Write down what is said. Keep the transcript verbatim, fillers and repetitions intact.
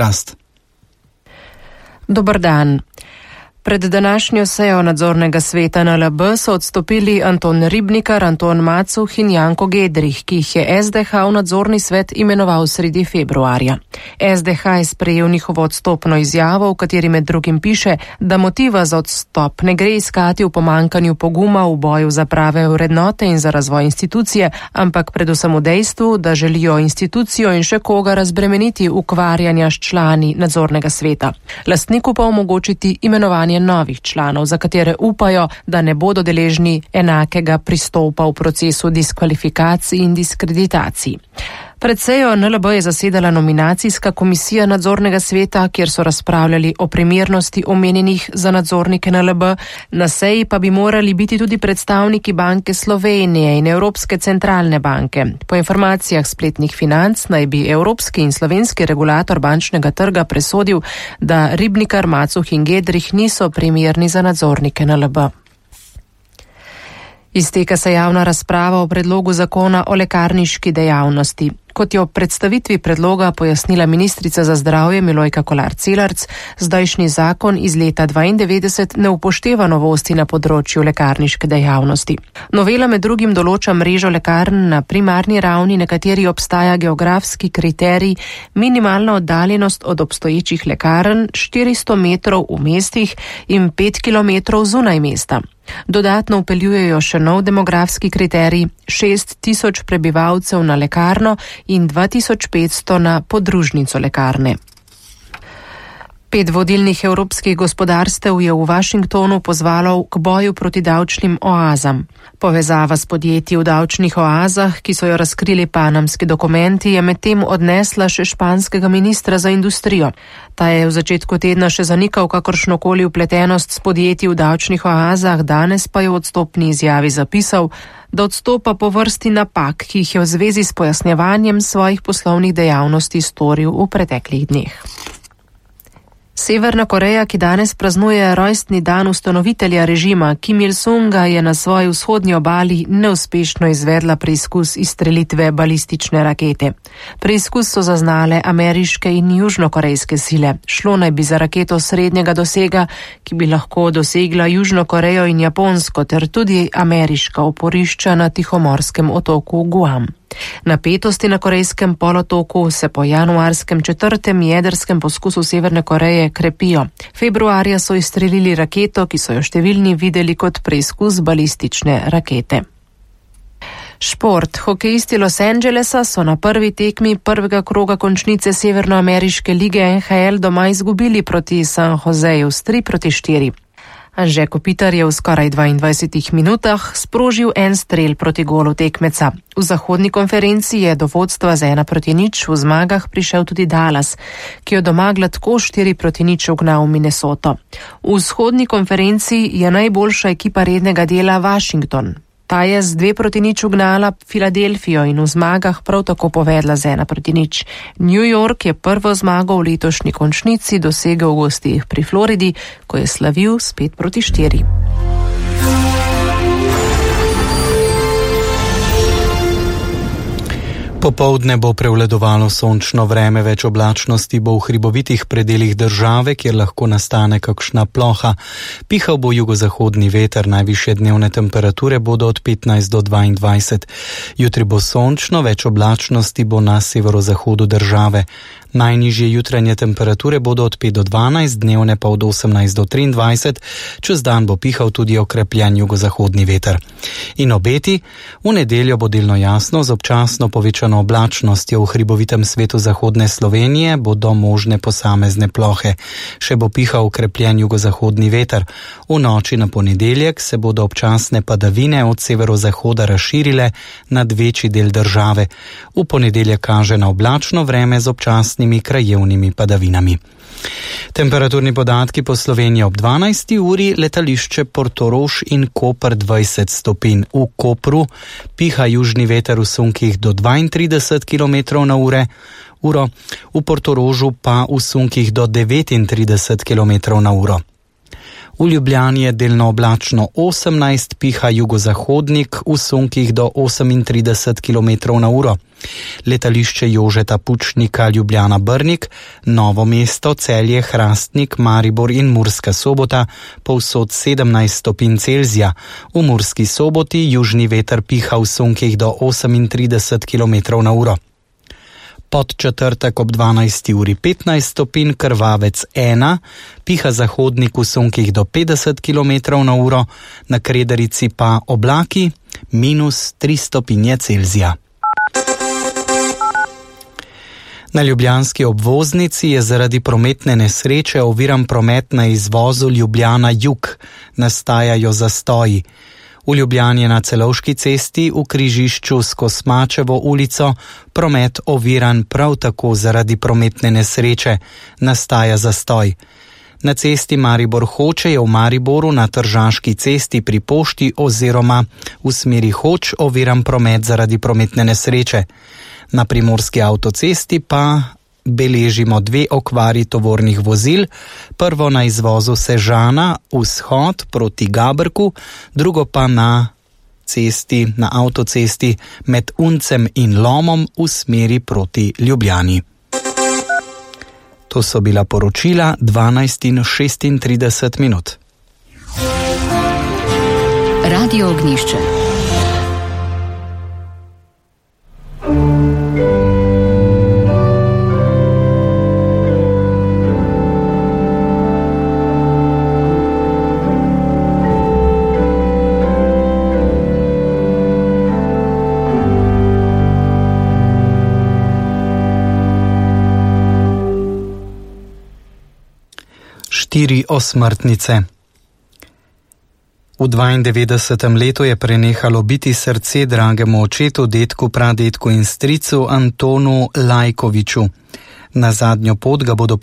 rast. Dober dan. Pred današnjo sejo nadzornega sveta N L B so odstopili Anton Ribnikar, Anton Macuh in Janko Gedrih, ki jih je S D H v nadzorni svet imenoval sredi februarja. S D H je sprejel njihovo odstopno izjavo, v kateri med drugim piše, da motiva za odstop ne gre iskati v pomankanju poguma v boju za prave vrednote in za razvoj institucije, ampak predvsem v dejstvu, da želijo institucijo in še koga razbremeniti ukvarjanja s člani nadzornega sveta. Lastniku pa omogočiti imenovanje novih članov, za katere upajo, da ne bodo deležni enakega pristopa v procesu diskvalifikacij in diskreditacij. Pred sejo N L B je zasedala nominacijska komisija nadzornega sveta, kjer so razpravljali o primernosti omenjenih za nadzornike N L B. Na seji pa bi morali biti tudi predstavniki Banke Slovenije in Evropske centralne banke. Po informacijah spletnih Financ naj bi evropski in slovenski regulator bančnega trga presodil, da Ribnikar, Macuh in Gedrih niso primerni za nadzornike N L B. Izteka se javna razprava o predlogu zakona o lekarniški dejavnosti. Kot je ob predstavitvi predloga pojasnila ministrica za zdravje Milojka Kolar Celarc, zdajšnji zakon iz leta dvaindevetdeset ne upošteva novosti na področju lekarniške dejavnosti. Novela med drugim določa mrežo lekarn na primarni ravni, na kateri obstaja geografski kriterij, minimalna oddaljenost od obstoječih lekarn štiristo metrov v mestih in pet kilometrov zunaj mesta. Dodatno vpeljujejo še nov demografski kriterij, šest tisoč prebivalcev na lekarno in dva tisoč petsto na podružnico lekarne. Pet vodilnih evropskih gospodarstev je v Washingtonu pozvalo k boju proti davčnim oazam. Povezava s podjetji v davčnih oazah, ki so jo razkrili panamski dokumenti, je medtem odnesla še španskega ministra za industrijo. Ta je v začetku tedna še zanikal kakršnokoli vpletenost s podjetji v davčnih oazah, danes pa je v odstopni izjavi zapisal, da odstopa po vrsti napak, ki jih je v zvezi s pojasnjevanjem svojih poslovnih dejavnosti storil v preteklih dneh. Severna Koreja, ki danes praznuje rojstni dan ustanovitelja režima Kim Il-sunga, je na svoji vzhodni obali neuspešno izvedla preizkus izstrelitve balistične rakete. Preizkus so zaznale ameriške in južnokorejske sile. Šlo naj bi za raketo srednjega dosega, ki bi lahko dosegla Južno Korejo in Japonsko ter tudi ameriška oporišča na tihomorskem otoku Guam. Napetosti na korejskem polotoku se po januarskem četrtem jedrskem poskusu Severne Koreje krepijo. Februarja so izstrelili raketo, ki so jo številni videli kot preizkus balistične rakete. Šport. Hokejisti Los Angelesa so na prvi tekmi prvega kroga končnice Severnoameriške lige N H L doma izgubili proti San Joseju s tri proti štiri. Anže Kopitar je v skoraj dvaindvajsetih minutah sprožil en strel proti golu tekmeca. V zahodni konferenci je do vodstva z ena proti nič v zmagah prišel tudi Dallas, ki je doma gladko štiri proti nič ugnal Minnesoto. V vzhodni konferenci je najboljša ekipa rednega dela Washington. Ta je z dve proti nič ugnala Filadelfijo in v zmagah prav tako povedla z ena proti nič. New York je prvo zmago v letošnji končnici dosegel v gostih pri Floridi, ko je slavil s pet proti štiri. Popoldne bo prevladovalo sončno vreme, več oblačnosti bo v hribovitih predelih države, kjer lahko nastane kakšna ploha. Pihal bo jugozahodni veter, najvišje dnevne temperature bodo od petnajst do dvaindvajset. Jutri bo sončno, več oblačnosti bo na severozahodu države. Najnižje jutranje temperature bodo od pet do dvanajst, dnevne pa od osemnajst do triindvajset, čez dan bo pihal tudi okrepljen jugozahodni veter. In obeti, v nedeljo bo delno jasno, z občasno povečano oblačnostjo v hribovitem svetu zahodne Slovenije bodo možne posamezne plohe. Še bo pihal okrepljen jugozahodni veter. V noči na ponedeljek se bodo občasne padavine od severozahoda razširile nad večji del države. V ponedeljek kaže na oblačno vreme z občasnimi krajevnimi padavinami. Temperaturni podatki po Sloveniji ob dvanajsti uri, letališče Portorož in Koper dvajset stopinj. V Kopru piha južni veter v sunkih do dvaintrideset kilometrov na ure, uro, v Portorožu pa v sunkih do devetintrideset kilometrov na uro. V Ljubljani je delno oblačno osemnajst, piha jugozahodnik v sunkih do osemintrideset kilometrov na uro. Letališče Jožeta Pučnika Ljubljana-Brnik, Novo mesto, Celje, Hrastnik, Maribor in Murska Sobota povsod sedemnajst stopinj Celzija. V Murski Soboti južni veter piha v sunkih do osemintrideset kilometrov na uro. Pod četrtek ob dvanajsti uri petnajst stopinj, Krvavec ena, piha zahodnik v sunkih do petdeset kilometrov na uro, na Krederici pa oblaki minus tri stopinje Celzija. Na ljubljanski obvoznici je zaradi prometne nesreče oviran promet na izvozu Ljubljana-Jug, nastajajo zastoji. V Ljubljani na Celovški cesti v križišču s Kosmačevo ulico promet oviran prav tako zaradi prometne nesreče, nastaja zastoj. Na cesti Maribor-Hoče je v Mariboru na Tržaški cesti pri pošti oziroma v smeri Hoč oviran promet zaradi prometne nesreče. Na primorski avtocesti pa beležimo dve okvari tovornih vozil, prvo na izvozu Sežana vzhod proti Gabrku, drugo pa na cesti, na avtocesti med Uncem in Lomom v smeri proti Ljubljani. To so bila poročila dvanajst in šestintrideset minut. Radio Ognjišče. Štiri osmrtnice. V dvaindevetdesetem letu je prenehalo biti srce dragemu očetu, dedku, pradedku in stricu Antonu Lajkoviču. Na zadnjo pot ga bodo